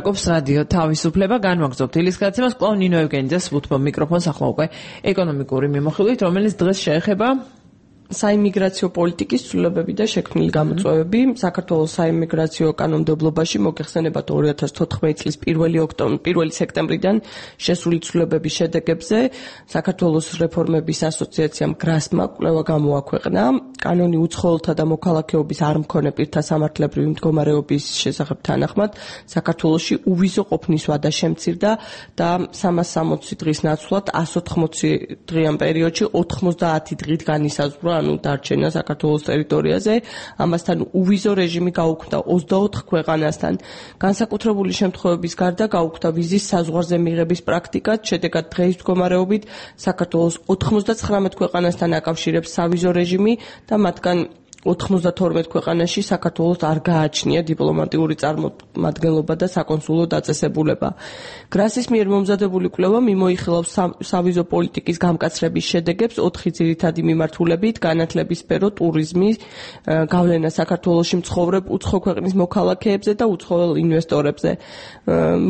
Კობს რადიო თავისუფლება განვაგრძობთ ილისკაცებას კვლავ ნინო ევგენიძეს ვუთმობ მიკროფონს ახლა უკვე ეკონომიკური მიმოხილვით, რომელიც დღეს შეეხება საიმიგრაციო პოლიტიკის ცვლილებები და შექმნილი გამოწვევები. საქართველოს საიმიგრაციო კანონმდებლობაში მოგეხსენებათ 2014 წლის 1 სექტემბრიდან შესული ცვლილებების შედეგებზე საქართველოს რეფორმების ასოციაციამ გრასმა კვლევა გამოაქვეყნა კანონი უცხოელთა და მოქალაქეობის არ მქონე პირთა სამართლებრივი მდგომარეობის შესახებ თანახმად საქართველოში უვიზო ყოფნის ვადა შემცირდა და 360 დღის ნაცვლად 180 დღიან პერიოდში 90 დღით განისაზღვრა დარჩენა საქართველოს ტერიტორიაზე, ამასთან უვიზო რეჟიმი გაუქმდა 24 ქვეყანასთან. განსაკუთრებული შემთხვევების გარდა გაუქმდა ვიზის საზღვარზე მიღების პრაქტიკაც, შედეგად დღეის მდგომარეობით საქართველოს 99 ქვეყანასთან აკავშირებს სავიზო რეჟიმი და მათგან 92 ქვეყანაში საქართველოს არ გააჩნია დიპლომატიური წარმომადგენლობა და საკონსულო დაწესებულება. გრასის მიერ მომზადებული კვლევა მიმოიხილავს სავიზო პოლიტიკის გამკაცრების შედეგებს 4 ძირითადი მიმართულებით: განათლების სფერო, ტურიზმი, გავლენა საქართველოში მცხოვრებ უცხო ქვეყნის მოქალაქეებზე და უცხოელ ინვესტორებზე.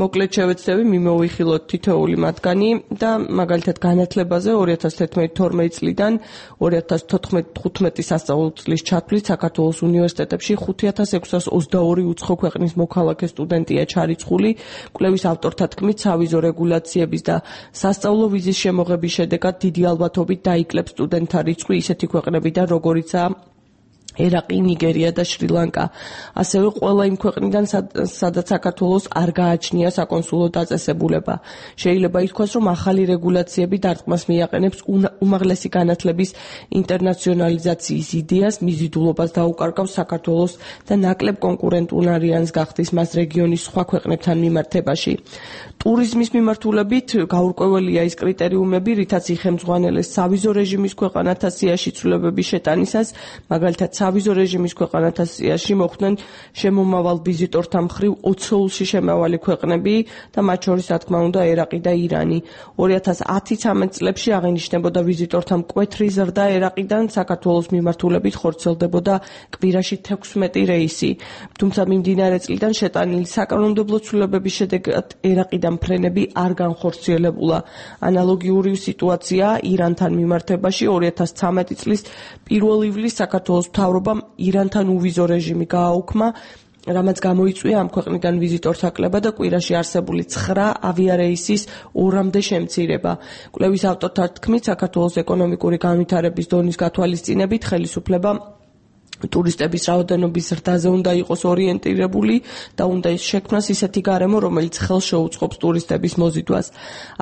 მოკლედ შევეცდები მიმოიხილოთ თითოეული მათგანი და მაგალითად განათლებაზე 2011-12 წლიდან 2014-15 სასწავლო წლის საქართველოს უნივერსიტეტებში 5622 უცხო ქვეყნის მოქალაქე სტუდენტია ჩარიცხული. კვლევის ავტორთა თქმით, სავიზო რეგულაციების და სასწავლო ვიზის შემოღების შედეგად დიდი ალბათობით დაიკლებს სტუდენტთა რიცხვი ისეთი ქვეყნებიდან, როგორიცაა ერაყი, ნიგერია და შრი-ლანკა. ასევე ყველა იმ ქვეყნიდან, სადაც საქართველოს არ გააჩნია საკონსულო დაწესებულება. შეიძლება ითქვას, რომ ახალი რეგულაციები დარტყმას მიაყენებს უმაღლესი განათლების ინტერნაციონალიზაციის იდეას, მიზიდულობას დაუკარგავს საქართველოს და ნაკლებ კონკურენტუნარიანს გახდის მას რეგიონის სხვა ქვეყნებთან მიმართებაში. ტურიზმის მიმართულებით გაურკვეველია ის კრიტერიუმები, რითაც იხელმძღვანელეს სავიზო რეჟიმის ქვეყანათა სიაში ცვლილებების შეტანისას, მაგალითად სავიზო რეჟიმის ქვეყანათა სიაში მოხვდნენ შემომავალ ვიზიტორთა მხრივ 20-ში შემავალი ქვეყნები და მათ შორის, რა თქმა უნდა, ერაყი და ირანი. 2010-13 წლებში აღინიშნებოდა ვიზიტორთა მკვეთრი ზრდა ერაყიდან, საქართველოს მიმართულებით ხორციელდებოდა კვირაში 16 რეისი. თუმცა მიმდინარე წლიდან შეტანილი საკანონმდებლო ცვლილებების შედეგად ერაყიდან ფრენები არ განხორციელებულა. ანალოგიური სიტუაცია ირანთან მიმართებაში 2013 წლის 1 ივლისს საქართველოს მთავრობამ ირანთან უვიზო რეჟიმი გააუქმა, რამაც გამოიწვია ამ ქვეყნიდან ვიზიტორთა კლება და კვირაში არსებული 9 ავიარეისის 2-მდე შემცირება. კვლევის ავტორთა თქმით, საქართველოს ეკონომიკური განვითარების დონის გათვალისწინებით ხელისუფლება ტურისტების რაოდენობის ზრდაზე უნდა იყოს ორიენტირებული და უნდა შექმნას ისეთი გარემო, რომელიც ხელს შეუწყობს ტურისტების მოზიდვას.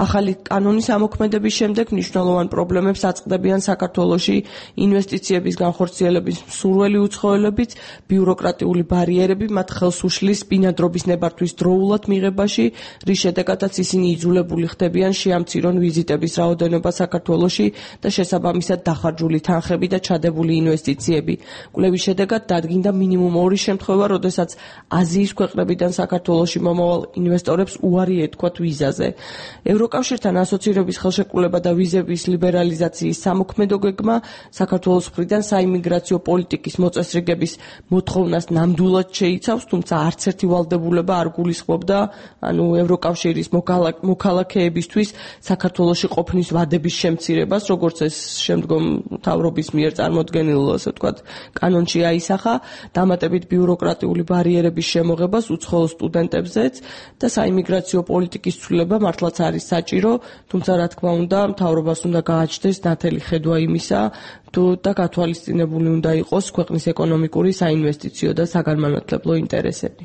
ახალი კანონის ამოქმედების შემდეგ მნიშვნელოვან პრობლემებს აწყდებიან საქართველოში ინვესტიციების განხორციელების მსურველი უცხოელებიც, ბიუროკრატიული ბარიერები მათ ხელს უშლის ბინადრობის ნებართვის დროულად მიღებაში, რის შედეგადაც ისინი იძულებული ხდებიან შეამცირონ ვიზიტების რაოდენობა საქართველოში და შესაბამისად დახარჯული თანხები და ჩადებული ინვესტიციები. კვლევის შედეგად დადგინდა მინიმუმ 2 შემთხვევა, როდესაც აზიის ქვეყნებიდან საქართველოში მომავალ ინვესტორებს უარი ეთქვათ ვიზაზე. ევროკავშირთან ასოცირების ხელშეკრულება და ვიზების ლიბერალიზაციის სამოქმედო გეგმა საქართველოს მხრიდან საიმიგრაციო პოლიტიკის მოწესრიგების მოთხოვნას ნამდვილად შეიცავს, თუმცა არც ერთი ვალდებულება არ გულისხმობდა, ევროკავშირის მოქალაქეებისთვის საქართველოში ყოფნის ვადების შემცირებას, როგორც ეს შემდგომ მთავრობის მიერ წარმოდგენილ, ასე ვთქვათ, კანონში აისახა, დამატებით ბიუროკრატიული ბარიერების შემოღებას უცხოელ სტუდენტებზეც და საიმიგრაციო პოლიტიკის ცვლილება მართლაც არის საჭირო, თუმცა რა თქმა უნდა, მთავრობას უნდა გააჩნდეს ნათელი ხედვა იმისა, და გათვალისწინებული უნდა იყოს ქვეყნის ეკონომიკური, საინვესტიციო და საგანმანათლებლო ინტერესები.